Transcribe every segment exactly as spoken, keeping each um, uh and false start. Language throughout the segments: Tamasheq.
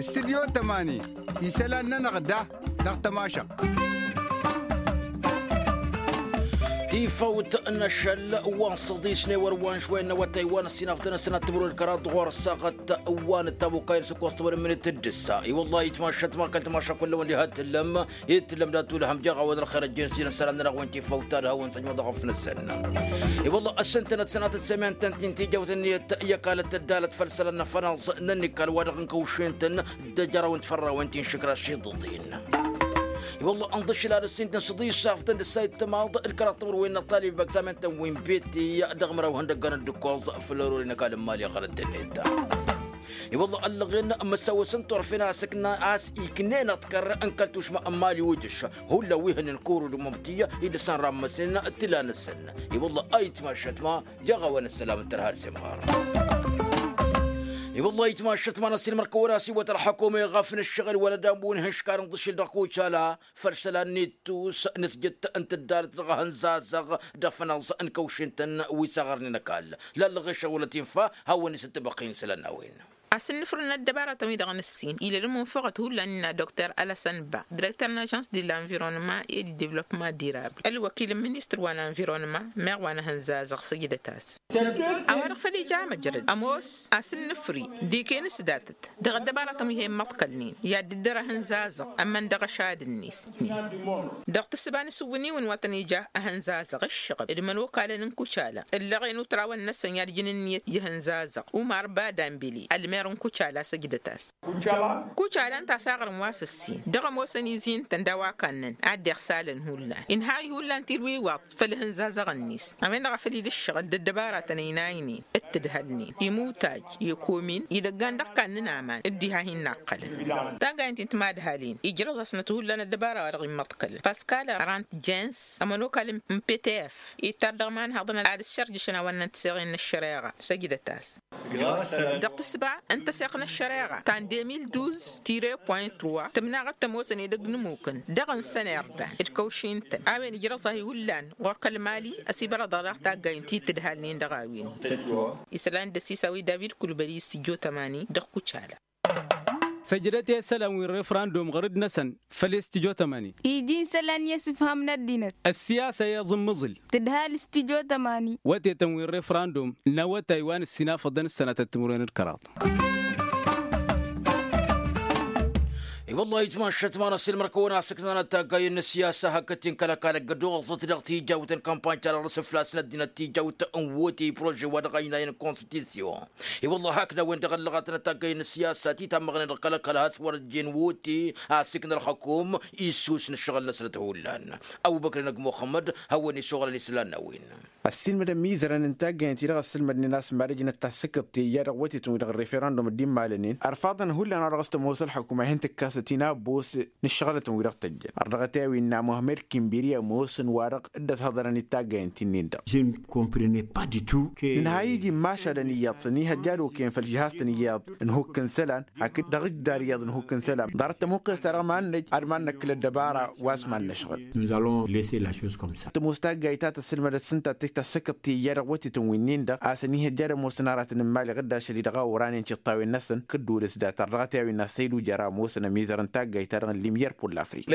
Studyo tămani isălan-nănăɣ da dăɣ-tămašăɣt. Tifăwt n-ašăl wa n-săḍis n-ewăr wa n-šwăyăn n-awătay wa n-ăssinafḍăn ăsănat timǝrwen d-kăraḍ ɣur-ăssaɣăt wa n-ăttamukayăn s-ǝkkoẓ tăwăl n-minit d-ǝssa. I-wălla-hi tmašăt ma kăl-tmašăt kull-ăwăn diha d-tǝllăm i-tǝllăm dat-ulhăm jeɣ a-wa d-ălxer ăjjeen s-inǝssălan-nănăɣ wa n-tifăwt ta d-hawăn-săjmăḍ ăɣăf-năsăn. I-wălla-hi ăssintănăt sănatăt-t-in tijawt ǝnniyăt i-ăkall ăttăddalăt făll-isălan n-afănaẓ n-ănnikkal wa dăɣ-inkăwšen-tăn d-ejăraw n-tifărrawen ti n-išǝkraš iḍǝḍen. I-wălla-hi ǝnḍǝšǝl ad-ăssin-tăn s-iḍǝyǝs afḍăn d-ǝssa ittămaḍ d-kăraḍ timǝrwen n-ăṭṭalib ăgzamen-tăn wi n-bete dăɣ-măraw ihăndăggan d-ǝkkoẓ făll-ărorin ăkall n-imali ɣărăt-tăn-net. I-wălla-hi ăllăɣen măsawăs n-turfen a-s iknen ăḍkăr n-kăl-tušma n-imali udǝš hullan wi hănen kuru d-mămti idǝsăn rammăsen tǝla-năsăn. I-wălla-hi ayǝtmašăt ma jeɣ a-wa n-ăssălam n-tărha d-semɣar. I-wălla-hi ayǝtmašăt ma n-ăssiilmăr-kăwăn-asiwăt ălxăkum iɣăf n-ǝššăɣǝl wăla d-ammun ihǝnškar ǝnḍǝšǝl dăɣ-kucala făll-isălan n-ittus n-asjăt n-tǝddalăt dăɣ-ehăn zazăɣ d-afănaẓ n-kăwšen-tăn wi s-aɣărnen ăkall. Lallăɣ išăɣulăt infa hawăn-isǝttăbăqqin isălan n-a-wen. Asǝnnǝfrǝn ăddăbaratăn-wi-dăɣ n-ǝssin ila d-ămunfăɣăt hullan innă dokter alăsăn ba direkter n-ažans de l'environnement et du developpement durable ălwăkil n-ministăr wa n-environnement meɣ wa n-ehăn zazăɣ săjdăt-as. A-wa-dăɣ făl ija amăjrăd ămoos asǝnnǝfri d-iken s-datăt dăɣ-ăddăbaratăn wi he-immăḍkălnen i-ad-dd-ărăhăn zazăɣ ămmăn dăɣ-ašad-net. Dăɣ-tǝssǝba n-isǝwwǝniwăn wa tăn-ija ehăn zazăɣ ǝššăɣǝb d-imănokalăn n-kucala ǝllăɣen utrawăn-năsăn i-ad-ǝjǝn ǝnniyăt i-ehăn zazăɣ umar badambili ălmer n-kucala săjdăt-as. Kucala ǝnta a-s aɣrǝm wa s-ǝssin dăɣ-ămoosăn izi ǝntăn d-a-wa kannăn ad-dd-iɣsalăn hullan inhăy hullan tirwiwaḍt făll-ehăn zazăɣ-net. A-wen-dăɣ a făl ila ǝššăɣǝl d-ăddăbaratăn ăynaynen d-tǝdhălnen imutaj i-komin idăggan dăɣ-kannăn aman d-diha hin-inaqqălăn. Taggayăn ti n-timadhalin ijrăẓ-asnăt hullan ăddăbara wa dăɣ-immăḍkălăn paskal rant jens ămănokal n-ptf ittar dăɣ-imanhăḍăn ad-ǝššărjǝšăn a-wa ǝnnăn tǝseɣen n-ăššăreɣa săjdăt-as. Dăɣ-tǝssǝba n-tăseɣt n-ăššăreɣa ta n-deux mille douze tiret point trois tǝmnaɣăt tămoosăn edăgg n-ămmukăn dăɣ-ǝnsăn irdan d-kăwšin-tăn a-wen ijrăẓ-ahi hullan ɣur-kăl-mali ăsibărăḍăɣ daɣ taggayǝn ti tǝdhalnen dăɣ-a-wen. Isălan d-ăsisawi david kulbăli s-tijjo tămani dăɣ-kucala. Săjdăt i-isălan wi n-refrandum ɣăr-dd-năsăn făll-i s-tijjo tămani. Iji n-isălan i-ăsǝfham n-ăddinăt. Ăssiyasa i-iẓǝmmǝẓǝl tǝdhal s-tijjo tămani. Wătetăn wi n-refrandum n-awătay wa n-ǝssinafăḍăn ǝssănatăt timǝrwen d-kăraḍ. I-wăllah itmašăt ma n-ăssiilmăr-kăwăn-asǝknanăt taggayen n-ăssiyasa hakd-t-in kăl-ăkall ăggăd oɣăẓăt dăɣ-tijawt n-kampany ta dăɣ-răsǝflas n-ăddinăt tijawt n-wote i-prože wa dăɣ-ăynay n-konstisyon. I-wăllah hakd a-wen-dăɣ ăllăɣătnăt taggayen n-ăssiyasa titammăɣnen dăɣ-kăl-ăkall has-wăr ăjjeen wote a ăssǝkna ălxăkum issus n-ǝššăɣǝl-năsnăt hullan. Ăbubăkr n-ăgg muxămmăd hawăn-isuɣǝlăn islan n-a-wen. Ăssiilmădăn imizărăn n-taggayen-ti-dăɣ ăssǝlmădnen a-s mad-ăjnăt tasǝkǝḍt teja dăɣ-wătetăn-wi-dăɣ n-referandum d-immalănen ărfaḍăn hullan a-wa dăɣ-s tămoos ălxăkum a hin-tǝkkasăt inabos n-ǝššăɣǝlătăn-wi-dăɣ tăjjăn ărdăɣăt i-a-wi ǝnna muhămmed kimbiri ămoosăn wa-dăɣ dd-ăshăḍărăn d-taggayen-ti-nin-dăɣ. Nǝnhăy iji n-imašalăn iyyăḍ s-ănihăjja ad-okăyăn făll-žihaz-tăn iyyăḍ n-hukk n-isălan hakd dăɣ-ǝjdar iyyăḍ n-hukk n-isălan ḍarăt tămuqqest-ta-dăɣ mad-năj ad-mad-năkkǝl ăddăbara wa s-mad-năšɣǝl. Tămoos taggayt ta tăssǝlmădăt s-ǝnta a t-tasǝkǝḍt teja dăɣ-wătetăn wi-nin-dăɣ a-s ănihăjja ad-ămoosăn aratăn n-imali ɣǝdda ašăl-i dăɣ-a oran i-ăntiṭṭawen-năsăn kǝddǝwăl s-dat ărdăɣăt i-a-wen n-assăydu jer-a ămoosăn ămizăr n-taggayt-ta-dăɣ n-limyăr pull-afrik.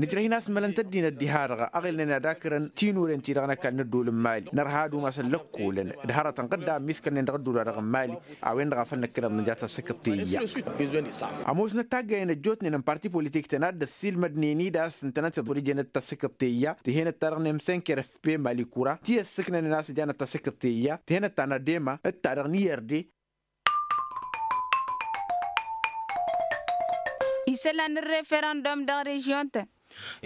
Nǝjrăh-in a-s mălăn tăddinăt diha-dăɣ ăɣilnen ad-akărăn tinuren-ti-dăɣ n-ăkall n-ăddool n-imali nărha ad-umasăn lăkkolăn d-hărătăn ɣǝdda ămmiskălnen dăɣ-ăddool-wa-dăɣ n-imali. A-wen-dăɣ a făl năkkăneḍ nǝja tasǝkǝḍt teja. Ămoosnăt taggayen ăjjootnen n-parti politik-tăn a dd-ăssiilmădnen-dd a-s ǝntănăt iḍul ijănăt tasǝkǝḍt teja tǝhenăt-ta-dăɣ n-emsenker f p malikura ti ăssǝknănen a-s ǝjanăt tasǝkǝḍt teja tǝhenăt ta n-adema d-ta-dăɣ n-irde. Isălan n-referandum dăɣ-režyon-tăn.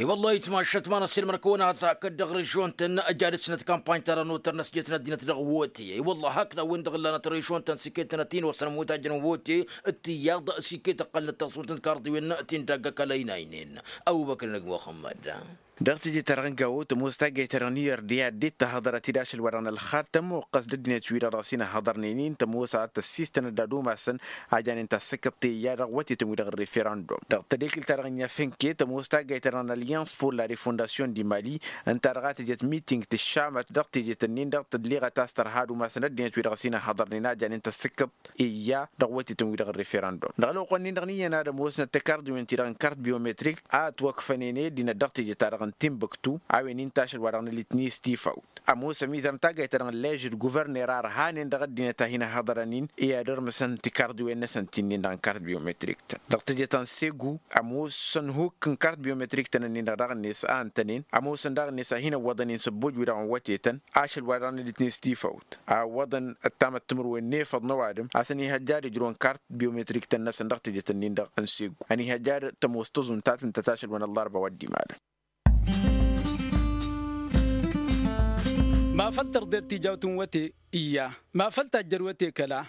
I-wăllah itmašăt ma n-ăssiilmăr-kăwăn-asǝkǝḍ dăɣ-režyon-tăn ăj ad-ǝsnăt kampany-ta-dăɣ n-otăr n-ăsjăt n-ăddinăt dăɣ-wote. I-wăllah hakd a-wen-dăɣ ǝllanăt režyon-tăn s-iket-tănăt-in osăn ămmutajăn n-wote d-tiyyăḍ s-iket ăqqălnăt tasut n-tikarḍiwen ti n-dagg-ăkall ăynaynen. Ăbubăkr n-ăgg muxămmăd. Dăɣ-teje-ta-dăɣ n-gawo tămoos taggayt-ta-dăɣ n-iyyăr d-i ad-dd-tahăḍăr ad-t-dd-ašăl-wa-dăɣ n-ălxar tămmuqqăs d-ăddinăt-wi-dăɣ dăɣ-s inhăḍărnen-in tămoos ad-tăssistănăt d-ad-umasăn a janen tasǝkkăḍt teja dăɣ-wătetăn-wi-dăɣ n-referandum dăɣ-tadekǝlt-ta-dăɣ n-inyafenke tămoos taggayt-ta-dăɣ n-allians pur la refondasyon di mali ǝnta-dăɣ a tǝjăt miting tǝššamăt dăɣ-tejet-ǝnnin-dăɣ tădliɣăt a-s tărha ad-umasăn ăddinăt-wi-dăɣ s-inhăḍărnen a janen tasǝkkăḍt iyya dăɣ-wătetăn-wi-dăɣ n-referandum dăɣ-ălwăqq-nin-dăɣ n-iyyăn ad-ămoosnăt tikarḍiwen-ti-dăɣ n-kart biometrik a ătwăkfănen i-ăddinăt dăɣ-teje-ta-dăɣ n-tinbǝktu a-wen inta ašăl wa dăɣ-nălitni s-tifawt ămoos ămizăr n-taggayt-ta-dăɣ n-ležăd guvărner a ărhanen dăɣ-ăddinăt a hin-ăhhăḍărăn-in i-ad-ărmǝsăn tikarḍiwen-năsăn ti-nin-dăɣ n-kart biometrik-tăn dăɣ-teje ta n-segu ămoosăn hukk n-kart biometrik-tăn-nin-dăɣ daɣ-net a ǝntănen ămoosăn daɣ-net a hin-ăwwăḍăn-in săbboj-wi-dăɣ n-wătetăn ašăl wa dăɣ-nălitni s-tifawt a ăwwăḍăn ăttamăt timǝrwen n-efăḍ n-ăwadǝm a-s ănihăjja ad-ǝjrǝwăn kart biometrik-tăn-năsăn dăɣ-tejet-ǝnnin-dăɣ n-segu ănihăjja ad-tămoos tăẓunt ta tǝntăt ašăl wa n-ăllarba wa dd-imalăn. Ma făl tărḍet tijawt n-wăte iyya ma făl tajjăr wăte kăla.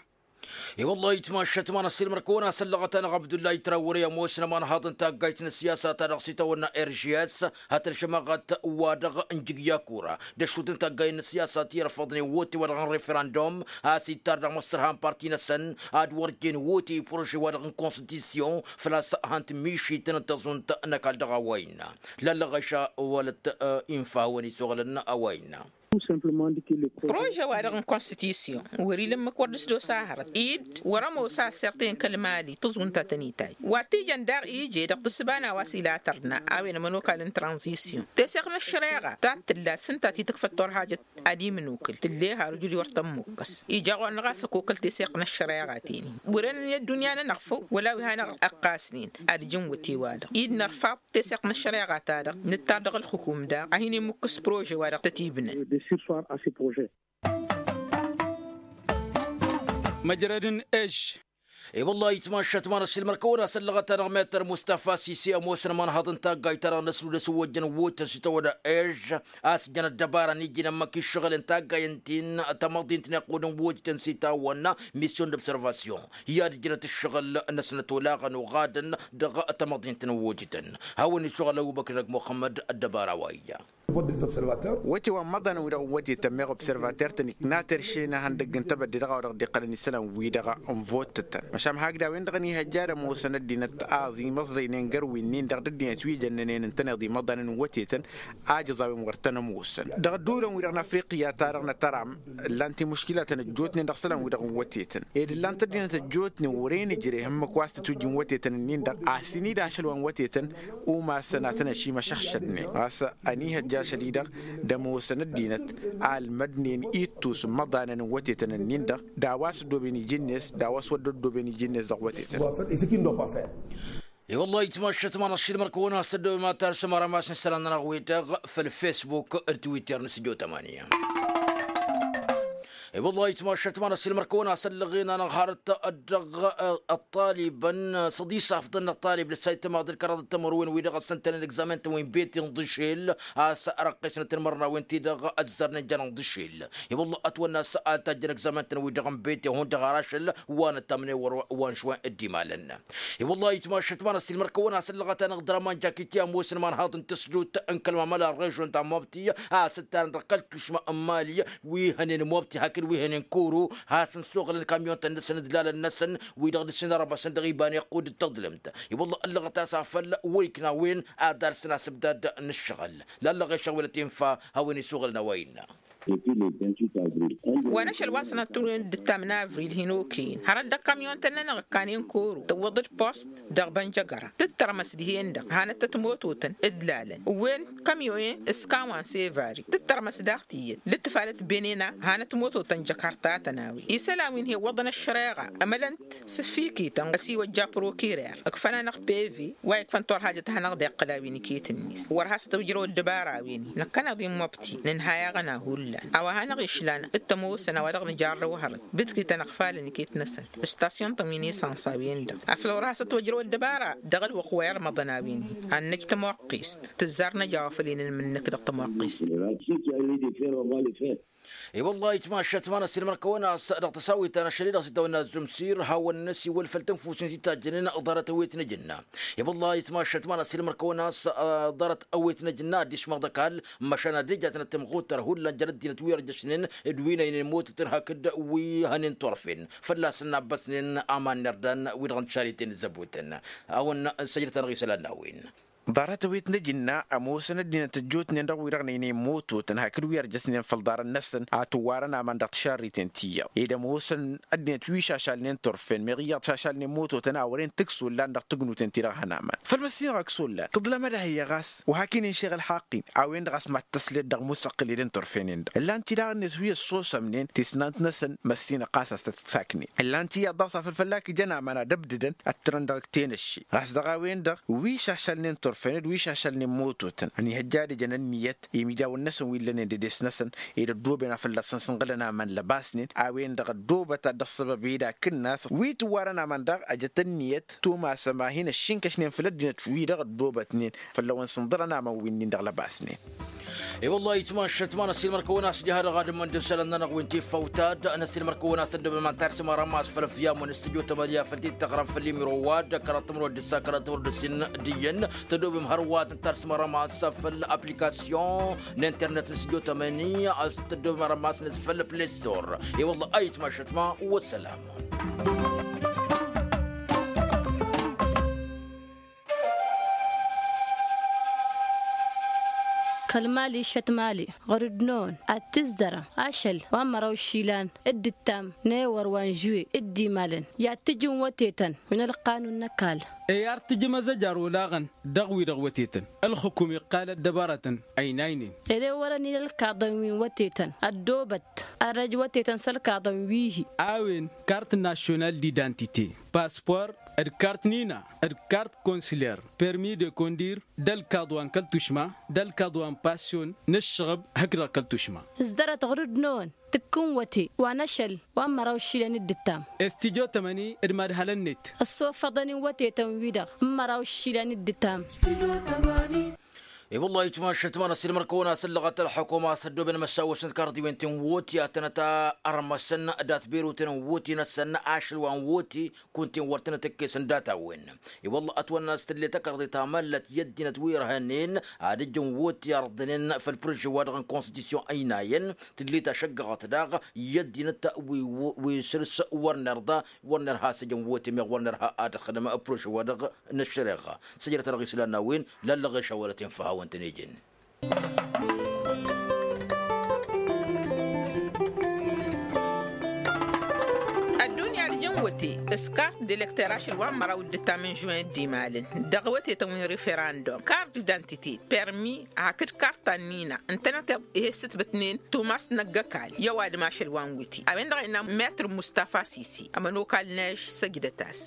I-wăllah itmaššăt ma n-ăssiilmăr kăwăn-a săllăɣăt-anăɣ abdullahi trawăre ămoosnăm anhaḍ n-taggayt n-ăssiyasa-ta-dăɣ s-itawănna rgs hătălšămăɣăt wa-dăɣ n-jǝgya kura d-ăšrut n-taggayen n-ăssiyasa ti-irfăḍnen wote-wa-dăɣ n-referandum a-s ittar dăɣ-măssărha n-parti-năsăn ad-wăr jen wote i-prože-wa-dăɣ n-konstitisyon făl-a-s han-tǝmmišităn n-tăẓunt n-ăkall dăɣ-a-wa innă lallăɣ-aša wălăt infa hawăn-isuɣǝlăn a-wa innă. Prože-wa-dăɣ n-konstitisyon wăr-ila ǝmmǝk wăr dd-s-dd-osa hărăt id wăr-ămoos a ăssirten kăl-mali tǝẓwǝn ta tăn-itay wa t-ijăn daɣ ije dăɣ-tǝssǝba n-a-wa s-ila tărna a-wen ămănokal n-tranzisyon teseɣt n-ăššăreɣa ta t-tǝllat s-ǝnta ti tǝkfăt turhajăt ad-imǝnukǝl tǝlle har ǝjud i-wăr tămmukkăs ija ɣur-năɣ a-s ăkokăl teseɣt n-ăššăreɣa tenen wăren i-ăddunya-nănăɣ făw wăla wi hanăɣ-ăqqasnen ad-ǝjǝn wăte-wa-dăɣ id nărfaḍ teseɣt n-ăššăreɣa-ta-dăɣ nǝttar dăɣ-ǝlxǝkum daɣ a hin-imukkǝs prože-wa-dăɣ tăt-ibnăn. Măjrăd n-ež. I-wăllah itmaššăt ma n-ăssiilmăr kăwăn-asăllăɣăt-anăɣ metăr mustafa sisi ămoosăn imanhaḍ n-taggayt-ta-dăɣ n-ăsrud s-wăjjăn wotăn s-itawădda ež a-s jăn ăddăbara n-iji n-ămmăk iššăɣǝl n-taggay ǝnta-in tamăḍint n-iqqud n-wotăn s-itawănna misyon d-observasyon i-ad-ǝjrăt ǝššăɣǝl-năsnăt olaɣăn oɣadăn dăɣ-tamăḍint n-wotăn hawăn-isuɣǝl ăbubăkr dăgg-muxămmăd ăddăbara wa ija. Wăte wa n-imăḍanăn-wi-dăɣ n-wătetăn meɣ observater-tăn ikna terše n-ehăndăgg n-tebădde dăɣ-a-wa dăɣ-dd-iqqălăn isălan-wi-dăɣ n-votătăn măšan hakd a-wen-dăɣ ănihăjja ad-ămoosăn ăddinăt aẓ imăẓrăynen găr-winnin-dăɣ d-ăddinăt wi jănnănen ǝntăneḍ imăḍanăn n-wătetăn ajăẓ a-wen wăr tăn-ămoosăn dăɣ-ădduulăn-wi-dăɣ n-afriqya-ta-dăɣ n-ătăram ǝllan timuškilatăn ăjjootnen dăɣ-isălan-wi-dăɣ n-wătetăn ed ǝllan-t ăddinăt ăjjootnen wăren ǝjreh ǝmmǝk wa s-tăt-ujǝn wătetăn-nin-dăɣ a-s inida ašăl wa n-wătetăn umasăn a tăn-ašimăšăɣšădnen ɣas ănihăjja ašăl-i-dăɣ d-ămoosăn ăddinăt a ǝlmădnen ittus n-imăḍanăn n-wătetăn-nin-dăɣ d-a-wa s-ăddooben iji-net d-a-wa s-wăr dd-ăddooben iji-net dăɣ-wătetăn. I-wăllah itmaššăt ma n-ašilmăr kăwăn-asăddăwem ad-tarsăm arămas n-isălan-nănăɣ-wi-dăɣ făll-fesbuk d-twitter n-sǝjo tămani. I-wăllah itmaššăt ma n-ašilmăr kăwăn-asăllăɣen-anăɣ harăt dăɣ-ăṭṭalibăn s-ad-isafḍăn n-ăṭṭalib lăssay tămaḍ d-kăraḍ d-tămărwen-wi-dăɣ ăssăntănen egzamen-tăn wi n-bete n-dăšel a-s răqqesnăt n-imărnawen-ti-dăɣ ăzzărnen jănăɣ dăšel. I-wăllah ătwănna a-s ad-tajjăn egzamen-tăn-wi-dăɣ n-bete hundăɣ ar ašăl wa n-ăttamnen wăr wa n-išwăn dd-imalăn. I-wăllah itmaššăt ma n-ašilmăr kăwăn-asăllăɣăt-anăɣ draman jakiti ămoosăn imanhaḍ n-tăsdut n-kăl-mamăla n-režon ta mobti a-s ǝttarăn dăɣ-kăl-tušma n-mali wi hănen mobti hakd wi hănen koro a-s n-suɣǝlăn kamyon-tăn-năsăn d-lalăn-năsăn wi-dăɣ dăr-s inărăbăsăn dăɣ-iba n-iqqud d-tăḍlǝmt. I-wăllah ăllăɣăt a-s afăl wăr-ikna a-wen ad-alsăn asǝbdad n-ǝššăɣǝl lallăɣ i-šăwălăt infa hawăn-isuɣǝlăn a-wa innă. Wa n-ašăl wa n-sănatăwen d-ǝttam n-avril hin-okăyăn hărăt dăɣ-kamyon-tăn-nănăɣ ǝkkanen koro tăwwăḍ-dd post dăɣ-bănjăgăra tǝttărmăs dihen-dăɣ hanăt-tăt mototăn d-lalăn ǝwwen kamyon-en s-kawan s-evari tǝttărmăs daɣ tiyyăt d-ǝttǝfalăt benena hanăt mototăn jăkartatăn a-wen isălan wi n-hi-iwwăḍăn ăššăreɣa ămălăn-t s-ǝffikităn ăsiwăjja prokirer ǝkfăn-anăɣ peve wa ikfăn turhajăt a hanăɣ-dd-iqqǝl a-wen iket-net wăr has-tǝwjrăw ăddăbara a-wen-i năkkăneḍ-in mobti nǝnhay aɣăna hullan. A-wa hanăɣ-išlan d-tămoosăn a-wa dăɣ-nǝjarrăw hărăt bǝtki-tăn ăɣfalăn iket-năsăn, ǝstasyon-tăn wi n-esăns a-wen-dăɣ afăl wăr has-ătwăjrăw ăddăbara dăɣ-ălwăqq wa irmăḍăn a-wen-hi ad-năj tămoqqist. Tǝzzar năj a-wa făl inǝlmǝn-năk dăɣ-tămoqqist. I-wălla ayǝtmašat ma n-ăssiilmăr-kăwăn a-s dăɣ-tăsawit ta n-ašăl-i-dăɣ s-dd-tawănna ăzzumsir hawăn-năsiwăl făll-tănfusen ti tajjănen ḍarăt ăwet n-ajǝnna. I-wălla ayǝtmašat ma n-ăssiilmăr-kăwăn a-s ḍarăt ăwet n-ajǝnna ad-dd-išmăḍ ăkall măšan ad-dd-ijatnăt timɣuttăr hullan jer-ăddinăt wi ărjăšnen d-wi n-ăynăy n-imotătăn hakd wi hănen turfen fălla-săn n-abbăsnen aman n-irdan wi-dăɣ n-tišariten zăbutăn. A-wăn săjdăt-anăɣ isălan n-a-wen. Ḍarăt ăwet n-ajǝnna ămoosăn ăddinăt ăjjootnen dăɣ-wi-dăɣ n-ăynăy n-imototăn hakd wi ărjăsnen făll-ḍarăn-năsăn a tǝwwarăn aman dăɣ-tišarriten ti iyyăḍ ed ămoosăn ăddinăt wi šašalnen turfen meɣ iyyăḍ šašalnen imototăn a wăren tǝksollan dăɣ-tǝgnuten ti-dăɣ hăn aman făll-măssinăɣ ăksollan tǝḍlăm ad-ehăyya ɣas wa hak-inen šeɣ ălxaqq-in a-wen-dăɣ a-s mad-tăsled dăɣ-musăqqǝled n-turfenen-dăɣ ǝllan-t-i daɣ-net wi ăssosămnen tisnant-năsăn măssinăɣ ɣas a-s tăt-saknen ǝllan-t iyyăḍ daɣ s-afăl fălla-k ijăn aman ad-ăbdǝdăn ad-tǝrăn dăɣ-tenăšše ɣas dăɣ-a-wen-dăɣ wi šašălnen turfen d-wi šašălnen mototăn ănihăjja ad-ǝjăn ǝnniyăt i-imidawăn-năsăn wi ǝllănen d-edes-năsăn ed ăddooben a fălla-săn sǝnɣǝlăn aman lăbasnen a-wen-dăɣ ăddoobăt ad-dd-ăṣṣăbăb ed akǝnnas wi tǝwwarăn aman daɣ ăjăt ǝnniyăt tumasăm a hin-ăššinkăšnen făll-ăddinăt-wi-dăɣ ăddoobătnen fălla-wăn sǝnḍărăn aman wi-nin dăɣ-lăbasnen. I-wăllah itmašăt ma n-ăssiilmăr-kăwăn a-s ija ha dăɣ-ad-ǝmmăn d-isălan-nănăɣ wi n-tiffawt ta d-năssiilmăr-kăwăn a-s tăddobem ad-tarsǝm arămas făll-ăfyam wa n-stujo tămănǝya făll-ti-tăɣrăm făll-imiro wa dd-kăraḍ timǝrwăt d-ǝssa kăraḍ timǝrwăt d-ǝssin d-iyyăn tăddobem hărwa tăn-tarsǝm arămas făll-aplikasyon n-internet n-stujo tămănǝya a-s tăddobem arămas-net făll-play store. I-wăllah a itmašăt ma. Wăssălam. Kăl-mali šăt mali ɣur-dd-năwăn ad-tǝzdărăm ašăl wa n-măraw išilan d-ǝttam n-ewăr wa n-žuwe d-imalăn i-ad-tǝjǝn wătetăn wi n-ălqanun n-ăkall. Ey ar tǝjǝm azăjar olaɣăn dăɣ-wi-dăɣ wătetăn ălxǝkum iqqal ăddăbarătăn ăynaynen. Ere wărăn-in ălkaḍăn wi n-wătetăn ăddoobăt ărrăj wătetăn s-ălkaḍăn wi-hi. A-wen kart national d-identite, paspor, d-kart nina, d-kart konsiler, permi de kondir, d-ălkaḍ wa n-kăl-tušma, d-ălkaḍ wa n-pasyon n-ǝššăɣăb hakd-dăɣ kăl-tušma. S-dărăt ɣur-dd-năwăn tǝkkǝn wăte wa n-ašăl wa n-măraw išilan d-ǝttam. Estijotămăni d-madhălăn-net. Ăssofăḍăn-in wătetăn-wi-dăɣ n-măraw išilan d-ǝttam. I-wăllah itmašăt ma n-ăssiilmăr-kăwăn a-s ǝllăɣăt ălxukuma a-s ăddooben măšawăšăn karḍiwen ti n-woti ad-tănăt-armăsăn dat-berotăn n-woti-năsăn ašăl wa n-woti kunta-en wăr tănăt-ǝkkesăn data-wen. I-wălla ătwănna a-s tǝlle tăkarḍe ta măllăt i-ăddinăt wi ărhănen ad-ǝjjǝn woti ărḍǝnen făll-prože-wa-dăɣ n-konstitusyon ăynayăn tǝlle tašăggăɣăt daɣ i-ăddinăt wi săr-s wăr nărḍa wăr nărha a-s ǝjăn woti meɣ wăr nărha ad-ăxdăm prože-wa-dăɣ n-ăššăreɣa. Săjdăt-anăɣ islan n-a-wen lallăɣ ešawălăten făhawăn-tăn-ejăn. Ăddunya d-ijăn wăte s-kart d-elekter ašăl wa n-măraw d-ǝttam n-žuwen d-imalăn dăɣ-wătetăn wi n-referandum kart d-identite permi hakd kart ta n-nina ǝntănăteḍ ih'-e ǝssǝtbǝtnen tumast năgg-ăkall i-ăwadǝm ašăl wa n-wăte a-wen-dăɣ a innă metr mustafa sisi ămănokal n-ežš săjdăt-as.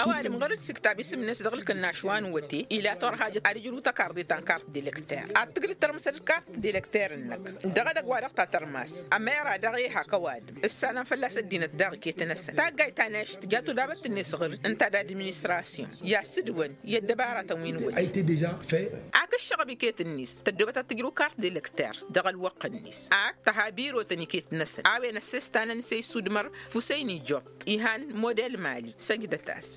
Ăwadǝm ɣur-dd s-iktab isǝm-net dăɣ-ǝlkǝnnaš wa n-wăte ila torhajăt ad-ǝjrǝw tăkarḍe ta n-kart d-elekter ad-tǝglǝd tărmǝsăt d-kart d-elekter-năk dăɣ-edăgg wa dăɣ-ta tărmas ămera daɣ i-hak ăwadǝm ǝssanăn fălla-s ăddinăt daɣ iket-năsăn taggayt ta n-ežš tǝja tudabăt-net ɣur-dd ǝnta d-administrasyon i-assǝdwăn i-ăddăbaratăn wi n-wăte. Ak ǝššăɣăb iket-net tăddoobăt ad-tǝjrǝw kart d-elekter dăɣ-ălwăqq-net ak tăha birotăn iket-năsăn a-wen ăssestan ănse isudmăr fusăyni job ihan model mali săjdăt-as.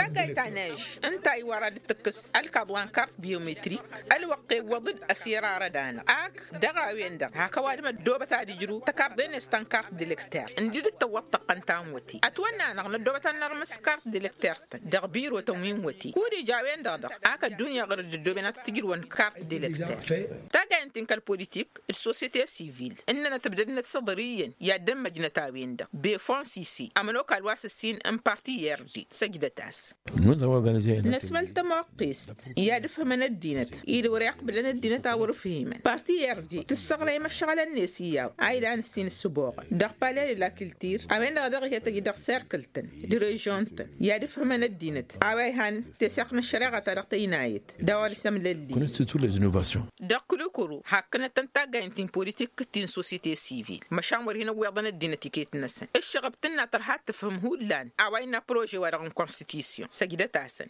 Taggayt ta n-ežš ǝnta iwar ad-dd-tǝkkǝs ălkaḍ wa n-kart biometrik ălwăqq iwwăḍ-dd ăsirarăd-anăɣ ak dăɣ-a-wen-dăɣ hak ăwadǝm ăddoobăt ad-ǝjrǝw tăkarḍe-net ta n-kart d-elekter ǝndi dd-tăwwăḍ tăqqăn ta n-wăte ătwănna-năɣ năddoobăt ad-nărmǝs kart d-elekter-tăn dăɣ-birotăn wi n-wăte kud-ija a-wen-dăɣ dăɣ-ak ăddunya ɣur-dd ǝddooben ad-tǝtǝjrǝwăn kart d-elekter. Taggayăn-t-in kăl-politik d-sosyete sivil ǝnnănăt ǝbdădnăt s-iḍăr iyyăn i-ad-dd-ămmăjnăt a-wen-dăɣ befon sisi ămănokal wa s-ǝssin n-parti i-r d săjdăt-as. Năsmăl tămoqqest i-ad-ǝfhǝmăn ăddinăt-i d-wăr-iqqǝblăn ăddinăt a wăr-ǝfhimăn parti i-r d tǝssăɣrăy imăššăɣǝlăn-net iyyăḍ a ilan ǝssin ǝssǝboɣăn dăɣ-pale d-lakǝltir a-wen-dăɣ a dăɣ-ihi ad-tăj dăɣ-serk Kǝl-tăn d-režion-tăn i-ad-ǝfhǝmăn ăddinăt a-wa ihan teseɣt n-ăššăreɣa-ta-dăɣ tăynayăt d-a-wa dăɣ-s ămlălli. Dăɣ-kulikuru hakkănăt-tăn taggaynt ti n-politikǝt ti n-sosyete sivil măšan wăr hin-ǝwweḍăn ăddinăt iket-năsăn ǝššăɣăb tǝnna tărha ad-tǝfhǝm hullan a-wa innă prože-wa-dăɣ n-konstitisyon săjdăt-asăn.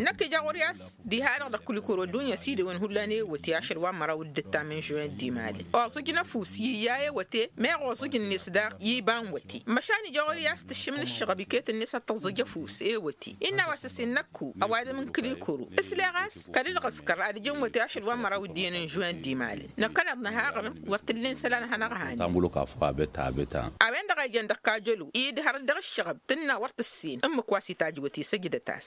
Năkk ija ɣur-i a-s diha-dăɣ dăɣ-kulikuru ăddunya s-idewăn hullan ewăte ašăl wa n-măraw d-ǝttam n-žuwen d-imalăn oẓǝjăn ăfuss i-ija ewăte meɣ oẓǝj-net daɣ i-iba n-wăte. Măšan ija ɣur-i a-s tǝššǝm n-ǝššăɣăb iket-net ad-tăẓẓǝj ăfuss ewăte innă a-wa s-ǝssin năkku ăwadǝm n-kǝlikuru ǝsleɣ a-s kăl-ǝlɣǝskăr ad-ǝjǝn wăte ašăl wa n-măraw d-iyyăn n-žuwen d-imalăn. Năkkăneḍ n-ahaɣrǝm wăr t-ǝllen isălan ad-hanăɣ-hanen. A-wen-dăɣ a ijăn dăɣ-kajălo idhărăt dăɣ-ǝššăɣăb tǝnna wăr tǝssen ǝmmǝk wa s-itajj wăte săjdăt-as.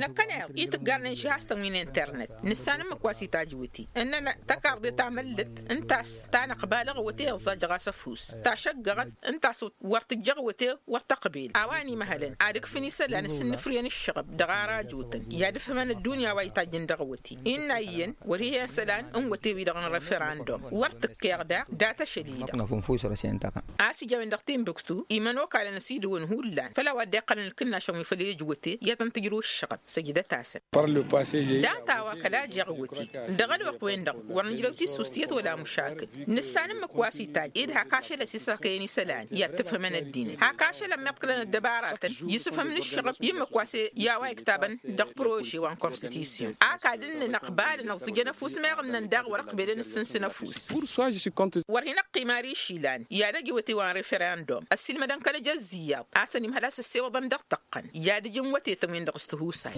Năkkăneḍ i-tǝggarnen šihastăn wi n-internet nǝssan ǝmmǝk wa s-itajj wăte ǝnnăn tăkarḍe tamăllăt ǝnta a-s tanăqbalăɣ wăte iẓẓajăɣ-as ăfuss tašăggăɣăt ǝnta a-s wăr tǝjjăɣ wăte wăr tăqbil a-wa n-imăhălăn ad-ǝkfǝn isălan s-ǝnnǝfrǝyăn ǝššăɣăb dăɣ-ara ăjotăn i-ad-ǝfhǝmăn ăddunya wa itajjăn dăɣ-wăte. Innă iyyăn wăr-ih'-e isălan n-wăte-wi-dăɣ n-referandum wăr t-ǝkkeɣ daɣ dat-ašăl-i-dăɣ. A-s ija a-wen dăɣ-timbuktu imănokalăn ăsidǝwăn hullan făll-a-wa dd-iqqălăn ǝlkǝnnašăn wi făll-ejăwăte i-ad-tăn-tǝjrǝw ǝššăɣăb. Săjdăt-asăn. Data-wa kăla jeɣ wăte dăɣ-ălwăqq-wen-dăɣ wăr nǝjrăw tissust iyyăt wăla măšakǝl. Nǝssan ǝmmǝk wa s-itajj ed hak ašăl ăsisăkăyăn isălan i-ad-tǝfhǝmăn ăddinăt hak ašăl ămmiḍkǝlăn ăddăbaratăn i-sǝfhǝm n-ǝššăɣăb i-ǝmmǝk wa s-e i-a-wa iktăbăn dăɣ-prože wa n-konstitisyon. Ak ad-ǝnnǝn ăqbalăn ăẓẓǝjăn ăfuss meɣ ǝnnăn daɣ wăr-ăqbelăn ǝssǝnsǝn ăfuss. Wăr hin-ăqqim ar išilan i-ad-ăj iwăte wa n-referandum ăssiilmădăn kăl-ăj ăzziyyaḍ a-s ănimhăl a-s ăssewăḍăn dăɣ-tăqqăn i-ad-ǝjǝn wătetăn-win-dăɣ s-tihusay.